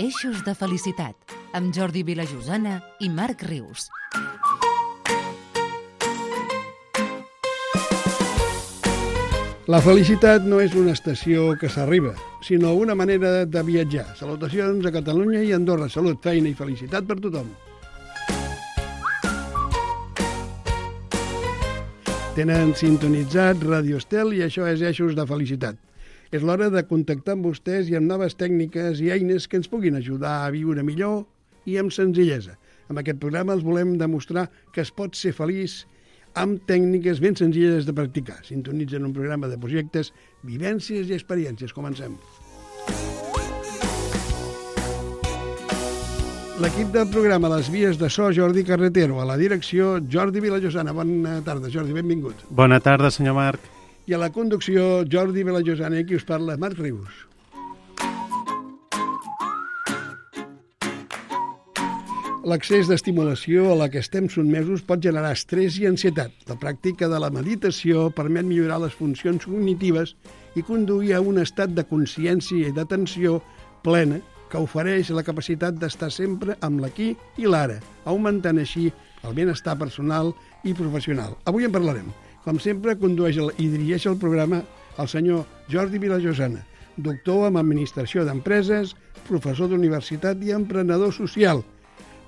Eixos de felicitat, amb Jordi Vilajosana i Marc Rius. La felicitat no és una estació que s'arriba, sinó una manera de viatjar. Salutacions a Catalunya i Andorra. Salut, feina i felicitat per tothom. Tenen sintonitzat Radio Estel i això és Eixos de Felicitat. És l'hora de contactar amb vostès i amb noves tècniques i eines que ens puguin ajudar a viure millor i amb senzillesa. Amb aquest programa els volem demostrar que es pot ser feliç amb tècniques ben senzilles de practicar. Sintonitzen un programa de projectes, vivències i experiències. Comencem. L'equip del programa Les Vies de So, Jordi Carretero. A la direcció, Jordi Vilajosana. Bona tarda, Jordi, benvingut. Bona tarda, senyor Marc. I a la conducció, Jordi Vilajosana, i qui us parla, Marc Rius. L'excés d'estimulació a la que estem sotmesos pot generar estrès i ansietat. La pràctica de la meditació permet millorar les funcions cognitives i conduir a un estat de consciència i d'atenció plena que ofereix la capacitat d'estar sempre amb l'aquí i l'ara, augmentant així el benestar personal i professional. Avui en parlarem. Com sempre, condueix i dirigeix el programa el senyor Jordi Vilajosana, doctor en Administració d'Empreses, professor d'universitat i emprenedor social,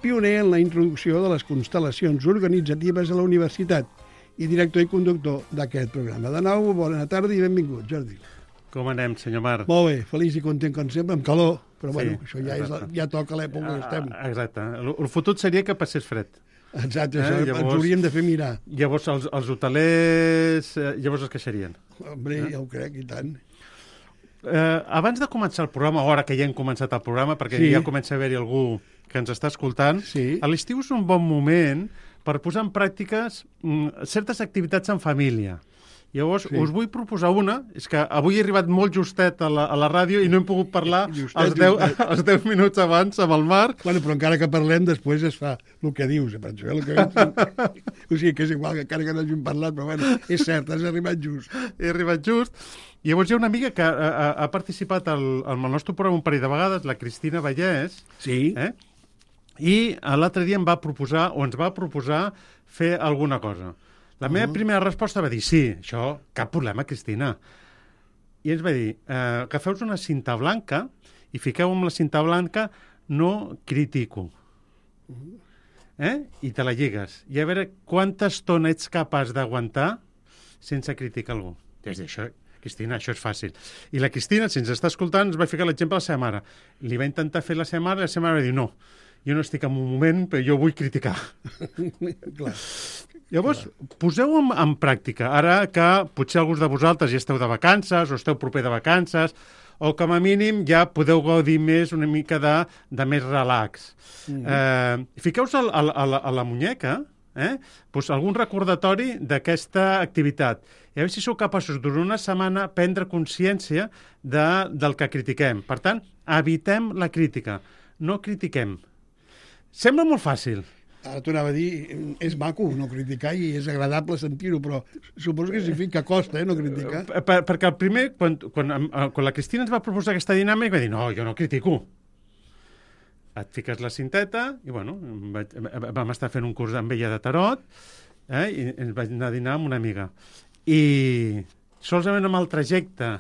pioner en la introducció de les constel·lacions organitzatives a la universitat i director i conductor d'aquest programa. De nou, bona tarda i benvingut, Jordi. Com anem, senyor Marc? Molt bé, feliç i content com sempre, amb calor, però sí, bueno, això ja toca l'època que estem. Exacte. El fotut seria que passés fred. Exacte, això llavors, ens hauríem de fer mirar. Llavors els hotelers llavors es queixarien. Hombre, ja ho crec, i tant. Abans de començar el programa, ara que ja hem començat el programa, perquè ja comença a haver-hi algú que ens està escoltant, a l'estiu és un bon moment per posar en pràctiques certes activitats en família. Llavors, us vull proposar una, és que avui he arribat molt justet a la ràdio i no hem pogut parlar els 10 minuts abans amb el Marc. Bueno, però encara que parlem, després es fa el que dius, penso, el que o sigui, que és igual, que encara que no hàgim parlat, però bueno, és cert, has arribat just. He arribat just. Llavors hi ha una amiga que ha participat al nostre programa un parell de vegades, la Cristina Vallès, i l'altre dia ens va proposar fer alguna cosa. La meva primera resposta va dir, sí, això, cap problema, Cristina. I ens va dir, agafeu una cinta blanca i fiqueu amb la cinta blanca no critico. I te la lligues. I a veure quanta estona ets capaç d'aguantar sense criticar algú. Des d'això, Cristina, això és fàcil. I la Cristina, si ens està escoltant, ens va ficar l'exemple a la seva mare. Li va intentar fer la seva mare i la seva mare va dir, no, jo no estic en un moment, però jo vull criticar. Clar. Llavors, poseu en pràctica. Ara que potser alguns de vosaltres ja esteu de vacances o esteu proper de vacances, o com a mínim ja podeu gaudir més una mica de més relax. Fiqueu-vos a la muñeca algun recordatori d'aquesta activitat. I a veure si sou capaços durant una setmana prendre consciència del que critiquem. Per tant, evitem la crítica. No critiquem. Sembla molt fàcil. Ara t'ho anava a dir, és maco no criticar i és agradable sentir-ho, però suposo que significa que costa, no criticar. Perquè el primer, quan la Cristina ens va proposar aquesta dinàmica, va dir, no, jo no critico. Et fiques la cinteta i, bueno, vam estar fent un curs amb ella de tarot i ens vaig anar a dinar amb una amiga. I solament amb el trajecte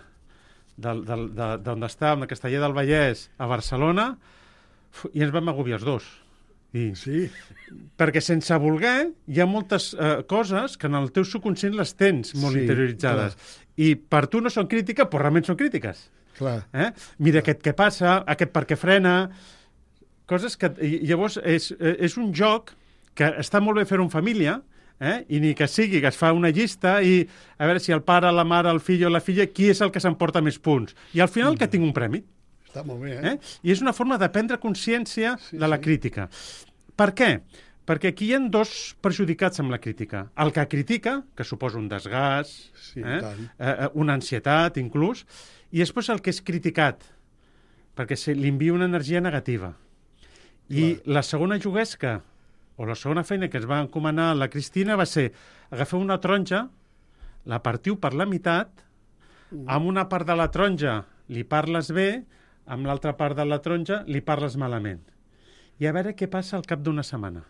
d'on estàvem, de Castellar del Vallès a Barcelona, i ens vam agobiar els dos. Sí. Perquè sense voler hi ha moltes coses que en el teu subconscient les tens molt interioritzades. Clar. I per tu no són crítiques, però realment són crítiques. Clar. Mira aquest què passa, aquest per què frena... Coses que... Llavors, és un joc que està molt bé fer-ho en família, i ni que sigui que es fa una llista i a veure si el pare, la mare, el fill o la filla, qui és el que s'emporta més punts. I al final que tinc un premi. Està molt bé, I és una forma de prendre consciència de la crítica. Per què? Perquè aquí hi ha dos perjudicats amb la crítica. El que critica, que suposa un desgast, una ansietat, inclús, i després el que és criticat, perquè li envia una energia negativa. I la segona juguesca, o la segona feina que ens va encomanar la Cristina va ser agafar una taronja, la partiu per la meitat, amb una part de la taronja li parles bé, amb l'altra part de la taronja li parles malament. I a veure què passa al cap d'una setmana.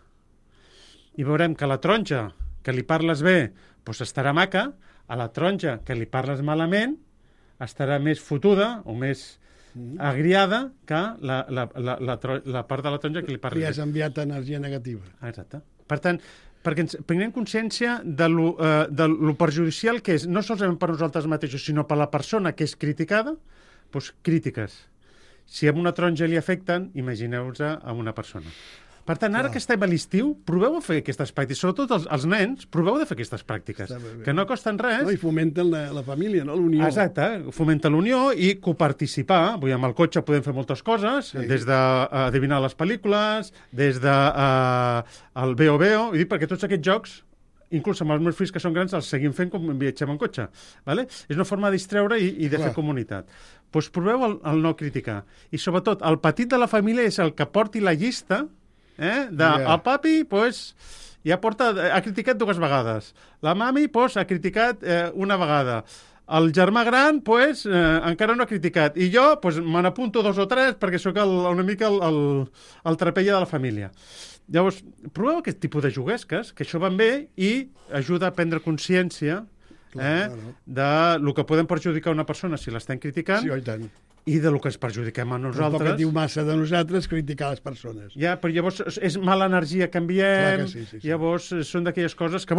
I veurem que la taronja que li parles bé doncs estarà maca, a la taronja que li parles malament estarà més fotuda o més agriada que la part de la taronja que li parles Li bé. has enviat energia negativa. Exacte. Per tant, perquè ens prenguem consciència de lo perjudicial que és, no solament per nosaltres mateixos, sinó per la persona que és criticada, doncs crítiques. Si a una taronja li afecten, imagineu-vos a una persona. Per tant, ara que estem a l'estiu, proveu a fer aquestes pràctiques. Sobretot els nens, proveu de fer aquestes pràctiques, que no costen res. No, i fomenten la família, no? L'unió. Exacte, fomenta l'unió i coparticipar. Vull dir, amb el cotxe podem fer moltes coses, des d'adivinar les pel·lícules, des de el Veo Veo, i dic perquè tots aquests jocs, inclús amb els meus fills que són grans, els seguim fent com viatgem en cotxe. Vale? És una forma de distreure i de fer comunitat. Doncs proveu el no criticar. I sobretot, el petit de la família és el que porti la llista el papi, ja ha criticat 2 vegades. La mami, ha criticat una vegada. El germà gran, encara no ha criticat. I jo, me n'apunto 2 o 3 perquè sóc una mica el trapella de la família. Llavors, proveu aquest tipus de juguesques, que això van bé i ajuda a prendre consciència de lo que podem perjudicar una persona si l'estem criticant. Sí, i tant. I de lo que ens perjudiquem a nosaltres. Tampoc et diu massa de nosaltres criticar les persones. Ja, però llavors és mala energia que enviem, sí. Llavors són d'aquelles coses que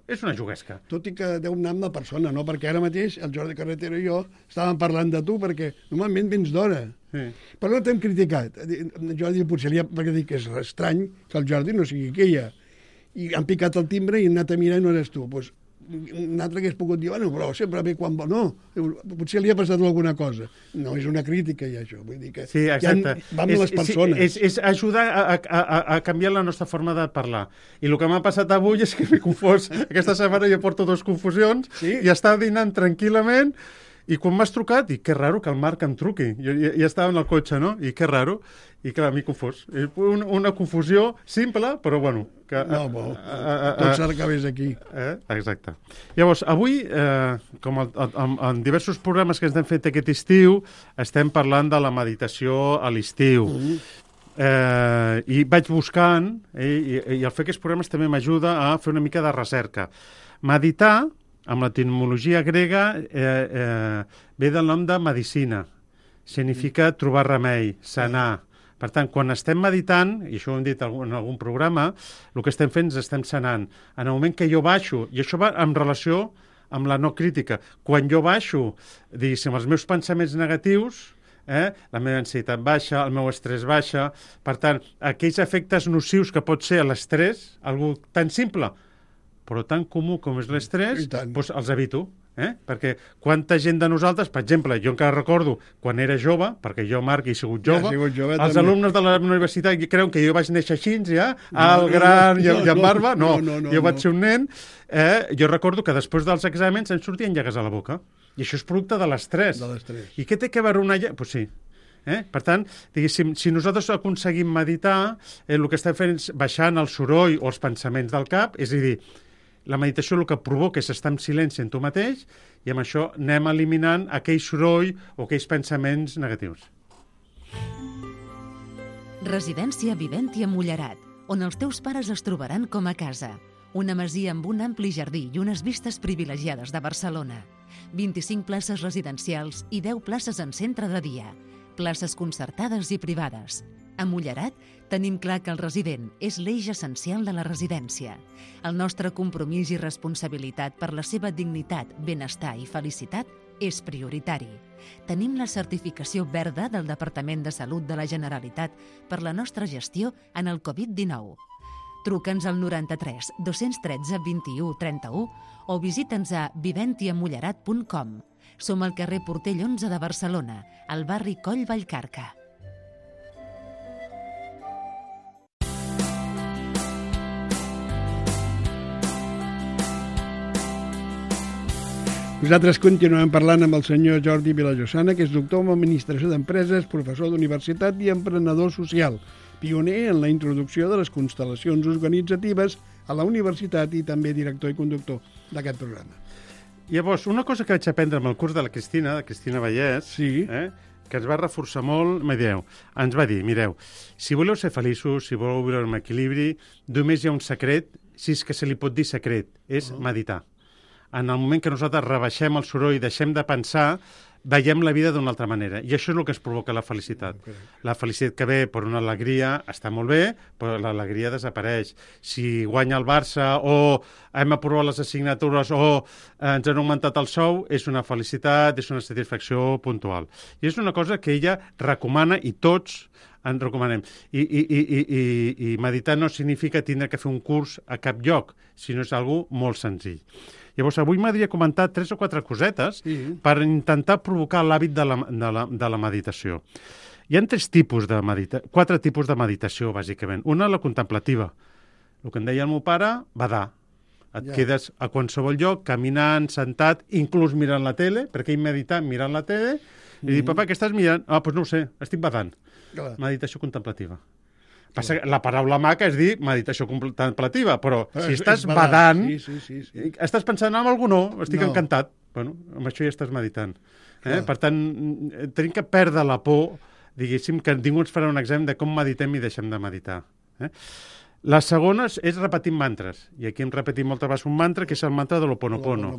és una juguesca. Tot i que deu anar amb la persona, no? Perquè ara mateix el Jordi Carretero i jo estàvem parlant de tu, perquè normalment vens d'hora. Sí. Però no t'hem criticat. Jordi potser perquè dic que és estrany que el Jordi no sigui aquella. I han picat el timbre i han anat a mirar i no eres tu. Doncs un altre que hagués pogut dir, bueno, però sempre ve quan vol. No, potser li ha passat alguna cosa. No és una crítica, ja, això. Vull dir que sí, exacte. Va amb les persones. És ajudar a canviar la nostra forma de parlar. I el que m'ha passat avui és que m'he confós. Aquesta setmana jo porto 2 confusions i estava dinant tranquil·lament i quan m'has trucat, i que raro que el Marc em truqui. Jo ja estava en el cotxe, no? I que raro. I clar, m'he confós. Una confusió simple, però bueno. Tot s'acabés aquí. Exacte. Llavors, avui, com en diversos programes que ens hem fet aquest estiu, estem parlant de la meditació a l'estiu. I vaig buscant, i el fer aquests programes també m'ajuda a fer una mica de recerca. Meditar, amb l'etimologia grega, ve del nom de medicina. Significa trobar remei, sanar. Per tant, quan estem meditant, i això ho hem dit en algun programa, el que estem fent és estem sanant. En el moment que jo baixo, i això va en relació amb la no crítica, quan jo baixo, diguéssim, els meus pensaments negatius, la meva ansietat baixa, el meu estrès baixa, per tant, aquells efectes nocius que pot ser l'estrès, algo tan simple, però tan comú com és l'estrès, doncs els evito. Perquè quanta gent de nosaltres, per exemple, jo encara recordo quan era jove, perquè jo, Marc, he sigut jove, els alumnes de la universitat creuen que jo vaig néixer així, alt, gran i amb barba. No, jo vaig ser un nen. Jo recordo que després dels exàmens em sortien llagues a la boca. I això és producte de l'estrès. I què té que veure una llaga? Doncs sí. Per tant, diguéssim, si nosaltres aconseguim meditar, el que estem fent és baixant el soroll o els pensaments del cap, és a dir, la meditació el que provoca és estar en silenci en tu mateix i amb això anem eliminant aquell soroll o aquells pensaments negatius. Residència Viventi a Mullerat, on els teus pares es trobaran com a casa. Una masia amb un ampli jardí i unes vistes privilegiades de Barcelona. 25 places residencials i 10 places en centre de dia. Places concertades i privades. A Mullerat tenim clar que el resident és l'eix essencial de la residència. El nostre compromís i responsabilitat per la seva dignitat, benestar i felicitat és prioritari. Tenim la certificació verda del Departament de Salut de la Generalitat per la nostra gestió en el Covid-19. Truca'ns al 93 213 21 31 o visita'ns a viventiamullerat.com. Som al carrer Portell 11 de Barcelona, al barri Coll Vallcarca. Nosaltres continuem parlant amb el senyor Jordi Vilallosana, que és doctor en Administració d'Empreses, professor d'universitat i emprenedor social, pioner en la introducció de les constel·lacions organitzatives a la universitat i també director i conductor d'aquest programa. Llavors, una cosa que vaig aprendre amb el curs de la Cristina Vallès, que ens va reforçar molt, ens va dir, mireu, si voleu ser feliços, si voleu viure amb equilibri, només hi ha un secret, si és que se li pot dir secret, és meditar. En el moment que nosaltres rebaixem el soroll i deixem de pensar, veiem la vida d'una altra manera. I això és el que ens provoca la felicitat. La felicitat que ve per una alegria està molt bé, però l'alegria desapareix. Si guanya el Barça o hem aprovat les assignatures o ens han augmentat el sou, és una felicitat, és una satisfacció puntual. I és una cosa que ella recomana i tots en recomanem. I meditar no significa tindre que fer un curs a cap lloc, sinó és algo molt senzill. Llavors, avui m'hauria comentat 3 o 4 cosetes per intentar provocar l'hàbit de la meditació. Hi ha 4 tipus de meditació, bàsicament. Una, la contemplativa. El que em deia el meu pare, badar. Et quedes a qualsevol lloc, caminant, sentat, inclús mirant la tele, perquè ell medita mirant la tele, i dic, papa, què estàs mirant? Ah, doncs no ho sé, estic badant. Meditació contemplativa. Passa que la paraula maca és dir meditació contemplativa, però si estàs badant, estàs pensant en algú, no, estic encantat. Bueno, amb això ja estàs meditant. Per tant, tenim que perdre la por, diguéssim, que ningú ens farà un examen de com meditem i deixem de meditar. La segona és repetir mantres. I aquí hem repetit moltes vegades un mantra, que és el mantra de l'Ho'oponopono.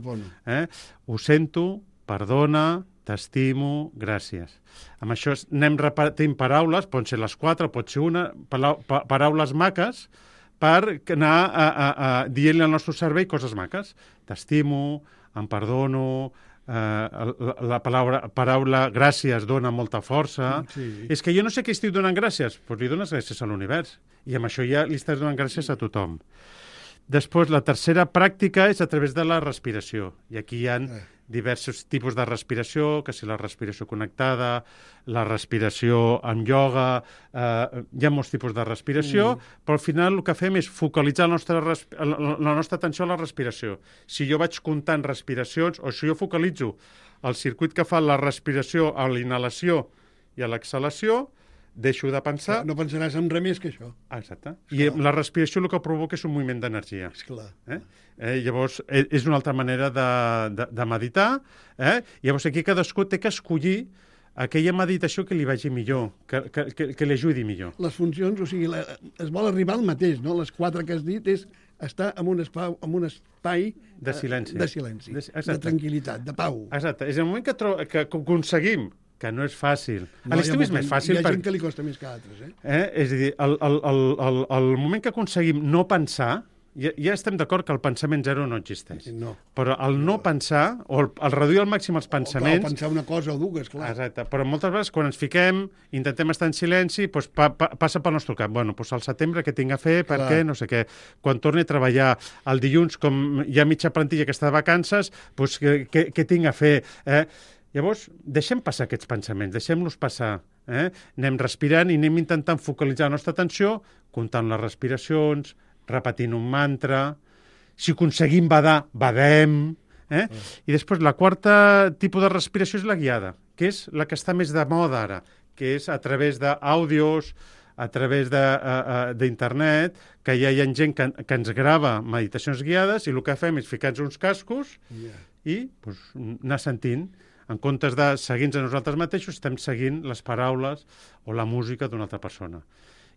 Ho sento, perdona, t'estimo, gràcies. Amb això anem repetint paraules, pot ser les 4, pot ser una, paraules maques, per anar dient-li al nostre cervell coses maques. T'estimo, em perdono, la paraula gràcies dona molta força. És que jo no sé què estic donant gràcies, doncs li dones gràcies a l'univers. I amb això ja li estàs donant gràcies a tothom. Després, la tercera pràctica és a través de la respiració. I aquí hi ha diversos tipus de respiració, que si la respiració connectada, la respiració amb ioga, hi ha molts tipus de respiració, però al final el que fem és focalitzar la nostra atenció a la respiració. Si jo vaig comptant respiracions, o si jo focalitzo el circuit que fa la respiració a la inhalació i a l'exhalació, deixo de pensar... No pensaràs en res més que això. Exacte. I la respiració el que provoca és un moviment d'energia. Esclar. Llavors, és una altra manera de meditar. Llavors, aquí cadascú té que escollir aquella meditació que li vagi millor, que li ajudi millor. Les funcions, o sigui, es vol arribar al mateix, no? Les 4 que has dit és estar en un espai de silenci, de tranquil·litat, de pau. Exacte. És el moment que aconseguim, que no és fàcil. A l'estiu és més fàcil. Hi ha gent que li costa més que altres, És a dir, el moment que aconseguim no pensar, ja estem d'acord que el pensament zero no existeix. No. Però el no pensar, o el reduir al màxim els pensaments... O pensar una cosa o dues, clar. Exacte. Però moltes vegades quan ens fiquem, intentem estar en silenci, doncs passa pel nostre cap. Bueno, doncs al setembre què tinc a fer, per què, no sé què. Quan torni a treballar el dilluns, com hi ha mitja plantilla que està de vacances, doncs què tinc a fer, Llavors, deixem passar aquests pensaments, deixem-los passar. Anem respirant i anem intentant focalitzar la nostra atenció, comptant les respiracions, repetint un mantra. Si aconseguim badar, badem. I després, la quarta tipus de respiració és la guiada, que és la que està més de moda ara, que és a través d'àudios, a través d'internet, que ja hi ha gent que ens grava meditacions guiades i el que fem és ficar-nos uns cascos i anar sentint. En comptes de seguir-nos a nosaltres mateixos, estem seguint les paraules o la música d'una altra persona.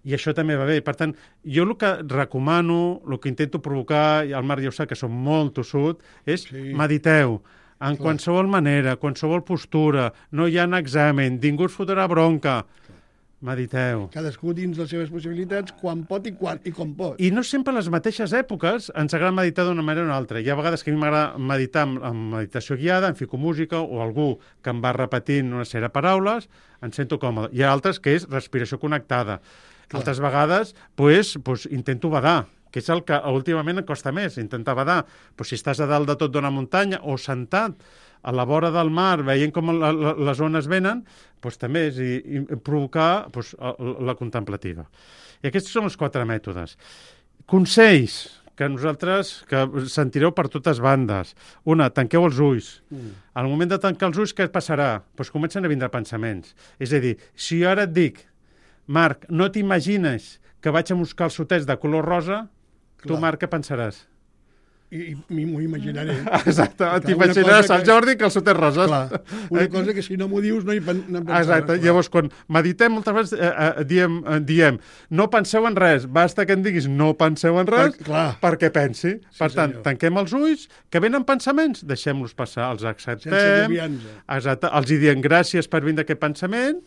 I això també va bé. Per tant, jo el que recomano, el que intento provocar, i el Marc ja ho sap que som molt tossut, és mediteu en qualsevol manera, qualsevol postura, no hi ha examen, ningú us fotrà bronca. Mediteu. Cadascú dins les seves possibilitats, quan pot i com pot. I no sempre a les mateixes èpoques ens agrada meditar d'una manera o una altra. Hi ha vegades que a mi m'agrada meditar amb meditació guiada, em fico música, o algú que em va repetint una sèrie de paraules, em sento còmode. Hi ha altres que és respiració connectada. Altres vegades, intento badar, que és el que últimament em costa més, intentar badar. Però si estàs a dalt de tot d'una muntanya o sentat a la vora del mar, veient com les ones venen, doncs també és provocar la contemplativa. I aquests són els 4 mètodes. Consells que sentireu per totes bandes. Una, tanqueu els ulls. Al moment de tancar els ulls, què passarà? Doncs comencen a vindre pensaments. És a dir, si jo ara et dic, Marc, no t'imagines que vaig amb uns calçotets de color rosa, tu, Marc, què pensaràs? I m'ho imaginaré. Exacte, t'imaginaràs el Jordi que el seu té roses. Clar, una cosa que si no m'ho dius no hi pensaràs. Exacte, llavors quan meditem moltes vegades diem no penseu en res, basta que em diguis no penseu en res perquè pensi. Per tant, tanquem els ulls, que venen pensaments, deixem-los passar, els acceptem. Sense agobiar-nos. Exacte, els hi diem gràcies per vindre aquest pensament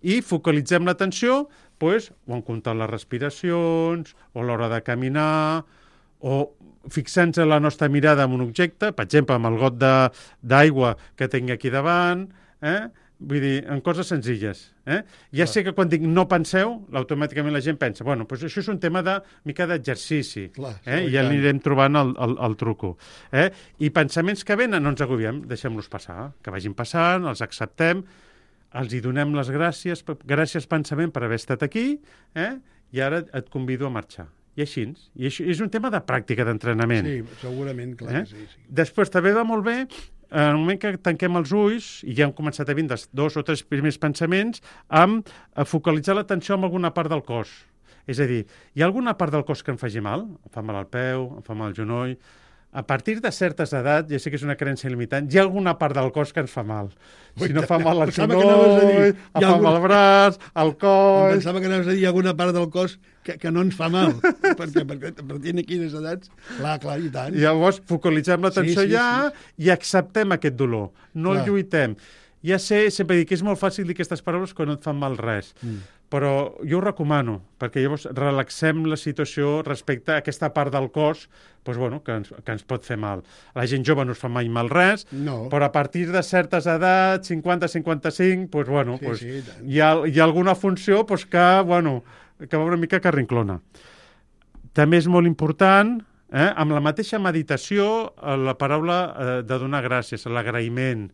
i focalitzem l'atenció o en comptar les respiracions, o a l'hora de caminar, o fixant-se la nostra mirada en un objecte, per exemple, amb el got d'aigua que tinc aquí davant, vull dir, en coses senzilles. Ja sé que quan dic no penseu, automàticament la gent pensa, bueno, doncs això és un tema de mica d'exercici, i ja anirem trobant el truco. I pensaments que venen, no ens agobiem, deixem-los passar, que vagin passant, els acceptem, els hi donem les gràcies pensament per haver estat aquí, i ara et convido a marxar. I així. I això és un tema de pràctica, d'entrenament. Sí, segurament, clar que sí. Després també va molt bé, en el moment que tanquem els ulls, i ja hem començat a vindre 2 o 3 primers pensaments, amb focalitzar l'atenció en alguna part del cos. És a dir, hi ha alguna part del cos que em faci mal? Em fa mal el peu, em fa mal el genoll. A partir de certes edats, ja sé que és una creença limitant, hi ha alguna part del cos que ens fa mal. Si no fa mal el genoll, em fa mal el braç, el coll... Pensava que anaves a dir alguna part del cos que no ens fa mal, perquè a partir de quines edats... Clar, i tant. Llavors, focalitzem l'atenció i acceptem aquest dolor. No el lluitem. Ja sé, sempre dic que és molt fàcil dir aquestes paraules quan no et fan mal res. Però jo ho recomano, perquè llavors relaxem la situació respecte a aquesta part del cos que ens pot fer mal. A la gent jove no es fa mai mal res, però a partir de certes edats, 50-55, hi ha alguna funció que va una mica carrinclona. També és molt important, amb la mateixa meditació, la paraula de donar gràcies, l'agraïment,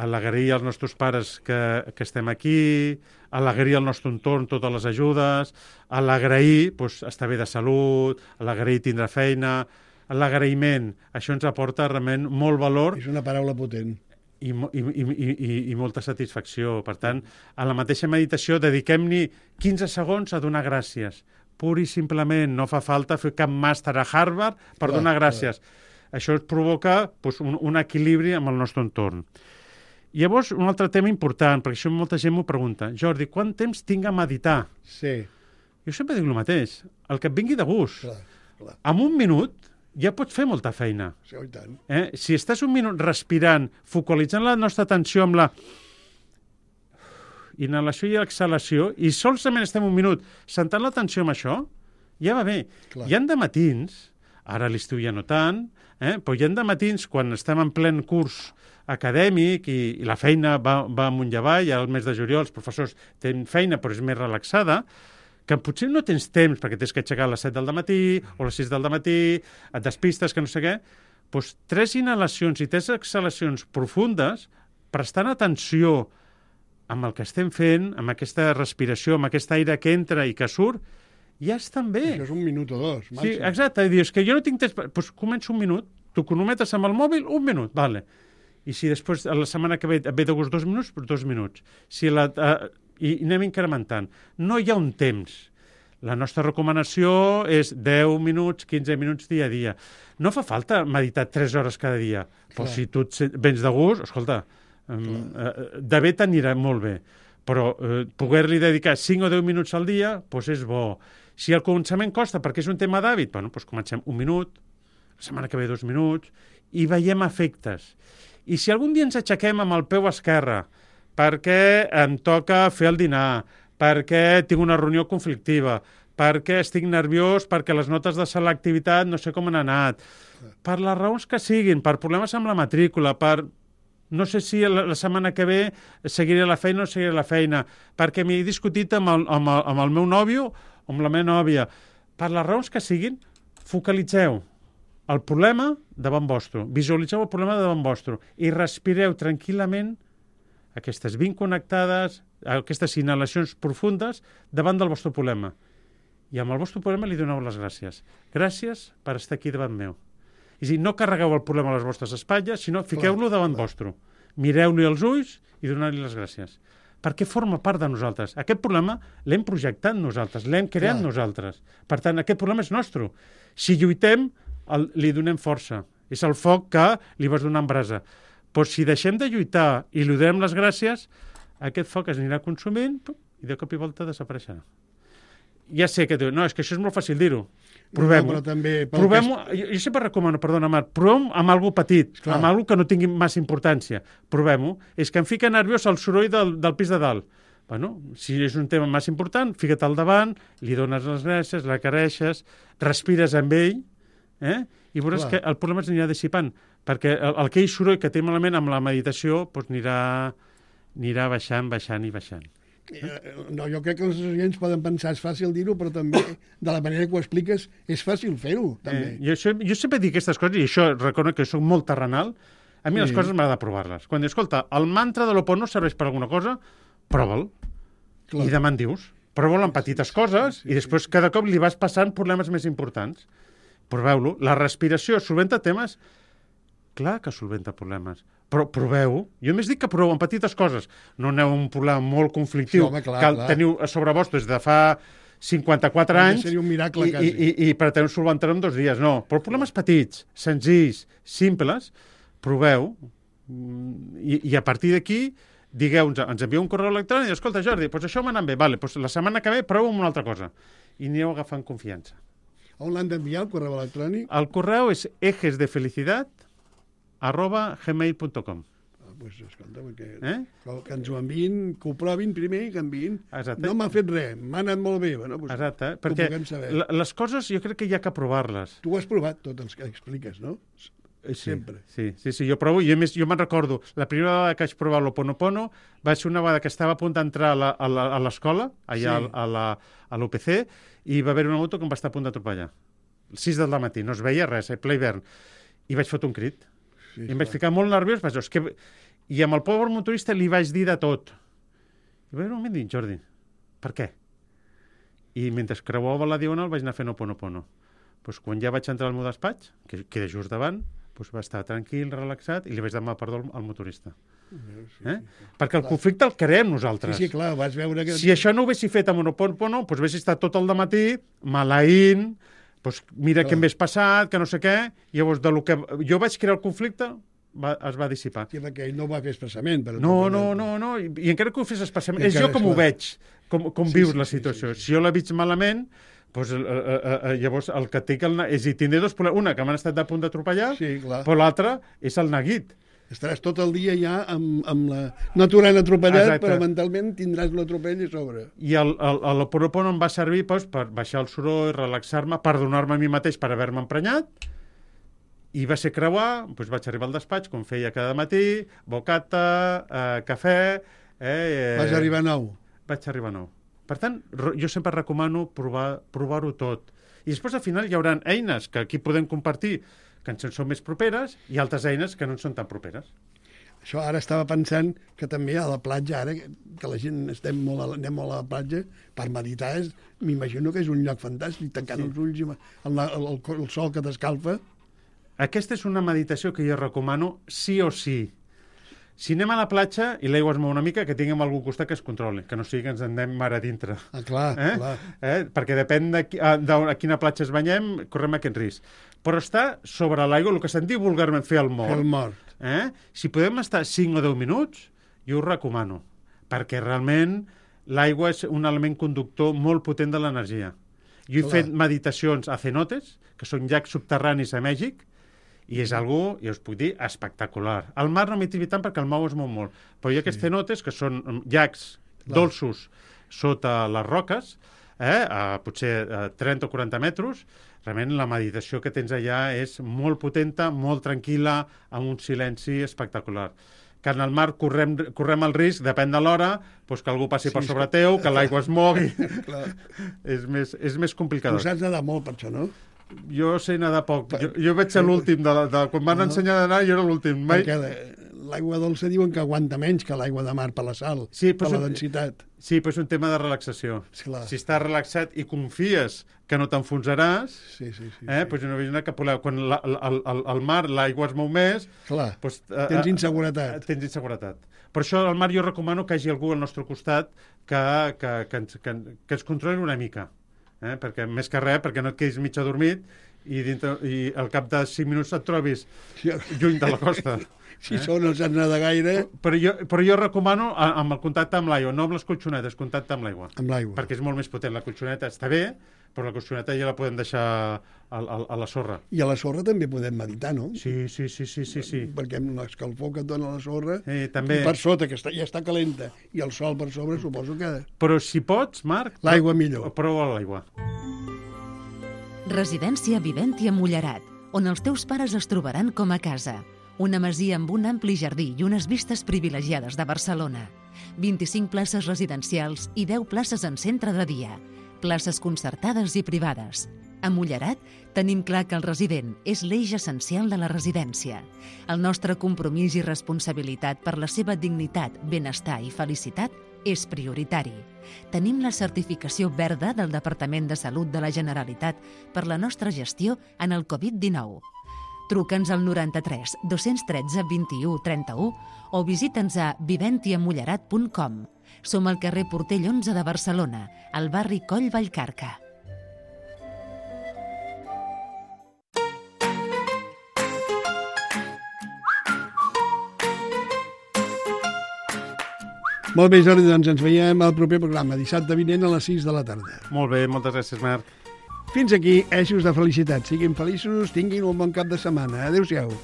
a l'agrair als nostres pares que estem aquí, a l'agrair al nostre entorn totes les ajudes, a l'agrair estar bé de salut, a l'agrair tindre feina, a l'agraïment. Això ens aporta realment molt valor. És una paraula potent. I molta satisfacció. Per tant, a la mateixa meditació dediquem-hi 15 segons a donar gràcies. Pur i simplement, no fa falta fer cap màster a Harvard per donar gràcies. Això ens provoca un equilibri amb el nostre entorn. Llavors, un altre tema important, perquè això molta gent m'ho pregunta. Jordi, quant temps tinc a meditar? Sí. Jo sempre dic el mateix. El que et vingui de gust. Clar. En un minut ja pots fer molta feina. Sí, i tant. Si estàs un minut respirant, focalitzant la nostra atenció amb la inhalació i exhalació, i solament estem un minut sentant l'atenció amb això, ja va bé. Clar. Hi ha dematins, ara a l'estiu ja no tant, però hi ha dematins quan estem en plen curs acadèmic i la feina va amunt i avall, al mes de juliol els professors tenen feina però és més relaxada, que potser no tens temps perquè tens que aixecar a les 7 del matí o a les 6 del matí, et despistes, que no sé què, doncs 3 inhalacions i 3 exhalacions profundes, prestant atenció amb el que estem fent, amb aquesta respiració, amb aquest aire que entra i que surt, ja estan bé. Això és un minut o dos, màxim. Sí, exacte, i dius que jo no tinc temps, doncs començo un minut, tu cronometres amb el mòbil, un minut, vale. I si després, la setmana que ve, et ve de gust 2 minuts, 2 minuts. I anem incrementant. No hi ha un temps. La nostra recomanació és 10 minuts, 15 minuts dia a dia. No fa falta meditar 3 hores cada dia. Però si tu vens de gust, escolta, de bé t'anirà molt bé. Però poder-li dedicar 5 o 10 minuts al dia, doncs és bo. Si el començament costa perquè és un tema d'hàbit, doncs comencem 1 minut, la setmana que ve 2 minuts, i veiem efectes. I si algun dia ens aixequem amb el peu esquerre perquè em toca fer el dinar, perquè tinc una reunió conflictiva, perquè estic nerviós, perquè les notes de selectivitat no sé com han anat, per les raons que siguin, per problemes amb la matrícula, per no sé si la setmana que ve seguiré la feina o no seguiré la feina, perquè m'he discutit amb el meu nòvio o amb la meva nòvia, per les raons que siguin, focalitzeu el problema davant vostre, visualitzeu el problema davant vostre i respireu tranquil·lament aquestes 20 connectades, aquestes inhalacions profundes davant del vostre problema. I amb el vostre problema li doneu les gràcies. Gràcies per estar aquí davant meu. És a dir, no carregueu el problema a les vostres espatlles, sinó fiqueu-lo davant vostre. Mireu-li els ulls i doneu-li les gràcies. Perquè forma part de nosaltres. Aquest problema l'hem projectat nosaltres, l'hem creat nosaltres. Per tant, aquest problema és nostre. Si lluitem, li donem força. És el foc que li vas donant brasa. Però si deixem de lluitar i li donem les gràcies, aquest foc es anirà consumint i de cop i volta desapareixerà. Ja sé que diu, no, és que això és molt fàcil dir-ho. Provem-ho. No, també... Provem-ho. Jo sempre recomano, perdona, Marc, provem amb alguna petit, amb alguna que no tingui massa importància. Provem-ho. És que em fica nerviós el soroll del pis de dalt. Bueno, si és un tema massa important, fica't al davant, li dones les gràcies, l'acareixes, respires amb ell, i veuràs que el problema s'anirà dissipant, perquè aquell soroll que té malament amb la meditació doncs anirà baixant i baixant. No, jo crec que els oients poden pensar és fàcil dir-ho, però també, de la manera que ho expliques, és fàcil fer-ho, també. Jo sempre dic aquestes coses, i això reconec que soc molt terrenal, a mi les coses m'agrada provar-les. Quan dius, escolta, el mantra de l'Ho'oponopono serveix per alguna cosa, prova'l. I demà en dius. Prova'l en petites coses i després cada cop li vas passant problemes més importants. Proveu-lo. La respiració solventa temes? Clar que solventa problemes. Però proveu. Jo més dic que proveu en petites coses. No aneu a un problema molt conflictiu que teniu a sobre vostre des de fa 54 anys seria un miracle, i preteniu solventar-ho en 2 dies. No, però problemes petits, senzills, simples, proveu i a partir d'aquí digueu, ens envieu un correu electrònic i escolta, Jordi, doncs això m'ha anat bé, vale, doncs la setmana que ve proveu amb una altra cosa. I anireu agafant confiança. On l'han d'enviar, el correu electrònic? El correu és ejesdefelicidad@gmail.com. Doncs escolta, que ens ho enviïn, que ho provin primer i que enviïn. Exacte. No m'ha fet res, m'ha anat molt bé. Bueno, doncs exacte, perquè les coses jo crec que hi ha que provar-les. Tu ho has provat, tot els que expliques, no? Sempre. Sí, jo provo. Jo me'n recordo, la primera vegada que vaig provar l'Ho'oponopono va ser una vegada que estava a punt d'entrar a l'escola, allà a l'UPC, i va haver una moto que em va estar a punt d'atropellar. 6 del matí, no es veia res, ple hivern. I vaig fotre un crit. I em vaig ficar molt nerviós, i amb el pobre motorista li vaig dir de tot. I va haver un moment dit, Jordi, per què? I mentre creuava la diagonal vaig anar fent Ho'oponopono. Doncs quan ja vaig entrar al meu despatx, que queda just davant, va estar tranquil, relaxat, i li vaig demanar perdó al motorista. Perquè el conflicte el creem nosaltres. Sí, clar, vas veure que... Si això no ho haguessi fet amb Ho'oponopono, doncs haguessi estat tot el dematí maleint, doncs mira què m'hagués passat, que no sé què, i llavors del que jo vaig crear el conflicte es va dissipar. Sí, perquè ell no ho va fer expressament. No, i encara que ho fes expressament, és jo com ho veig, com vius la situació. Si jo la veig malament, doncs, llavors el que té és dir, tindré 2 problemes. Una, que m'han estat a punt d'atropellar, però l'altra és el neguit. Estaràs tot el dia ja amb la... No t'hauran atropellat, però mentalment tindràs l'atropell a sobre. I l'Ho'oponopono em va servir per baixar el soroll, relaxar-me, perdonar-me a mi mateix per haver-me emprenyat, i va ser creuar, doncs vaig arribar al despatx, com feia cada matí, bocata, cafè... Vas arribar a 9? Vaig arribar a 9. Per tant, jo sempre recomano provar-ho tot. I després, al final, hi haurà eines que aquí podem compartir, que ens són més properes, i altres eines que no ens són tan properes. Això ara estava pensant que també a la platja, ara que la gent anem molt a la platja, per meditar, m'imagino que és un lloc fantàstic, tancant els ulls, el sol que t'escalfa. Aquesta és una meditació que jo recomano sí o sí. Si anem a la platja i l'aigua es mou una mica, que tinguem algú al costat que es controli, que no sigui que ens anem mar a dintre. Clar. Perquè depèn de a quina platja es banyem, correm aquest risc. Però està sobre l'aigua, el que se'n diu vulgarment fer el mort. Fer el mort. Si podem estar 5 o 10 minuts, jo ho recomano, perquè realment l'aigua és un element conductor molt potent de l'energia. Jo he fet meditacions a cenotes, que són llacs subterranis a Mèxic, i és algo, ja us puc dir, espectacular. Al mar no m'hi trivi tant perquè el mar es mou molt, però hi ha aquests cenotes que són llacs dolços sota les roques, a potser 30 o 40 metres. Realment la meditació que tens allà és molt potenta, molt tranquil·la, amb un silenci espectacular. Que en el mar correm el risc, depèn de l'hora, doncs que algú passi per sobre teu, que l'aigua es mogui. És més complicat. Tu saps nedar molt per això, no? Jo sé nedar poc. Jo vaig ser l'últim. Quan van ensenyar a nedar, jo era l'últim. Perquè l'aigua dolça diuen que aguanta menys que l'aigua de mar per la sal, per la densitat. Sí, però és un tema de relaxació. Si estàs relaxat i confies que no t'enfonsaràs, doncs no veig cap problema. Quan al mar l'aigua es mou més... Clar, tens inseguretat. Per això al mar jo recomano que hi hagi algú al nostre costat que ens controli una mica. Perquè més que res, perquè no et quedis mig adormit i al cap de 5 minuts et trobis lluny de la costa. Si són no saps nedar gaire... Però jo recomano amb el contacte amb l'aigua, no amb les colxonetes, contacte amb l'aigua. Amb l'aigua. Perquè és molt més potent. La colxoneta està bé, però la colxoneta ja la podem deixar a la sorra. I a la sorra també podem meditar, no? Sí. Perquè amb l'escalfor que et dona la sorra, també... i per sota, que ja està calenta, i el sol per sobre, suposo que... Però si pots, Marc... L'aigua millor. Prova l'aigua. Residència Viventia Mullerat, on els teus pares es trobaran com a casa. Una masia amb un ampli jardí i unes vistes privilegiades de Barcelona. 25 places residencials i 10 places en centre de dia. Places concertades i privades. A Mullerat tenim clar que el resident és l'eix essencial de la residència. El nostre compromís i responsabilitat per la seva dignitat, benestar i felicitat és prioritari. Tenim la certificació verda del Departament de Salut de la Generalitat per la nostra gestió en el Covid-19. Truca'ns al 93 213 21 31 o visita'ns a viventiamullerat.com. Som al carrer Portell 11 de Barcelona, al barri Coll Vallcarca. Molt bé, Jordi, doncs ens veiem al proper programa, dissabte vinent a les 6 de la tarda. Molt bé, moltes gràcies, Marc. Fins aquí, eixos de felicitat. Siguin feliços, tinguin un bon cap de setmana. Adéu-siau.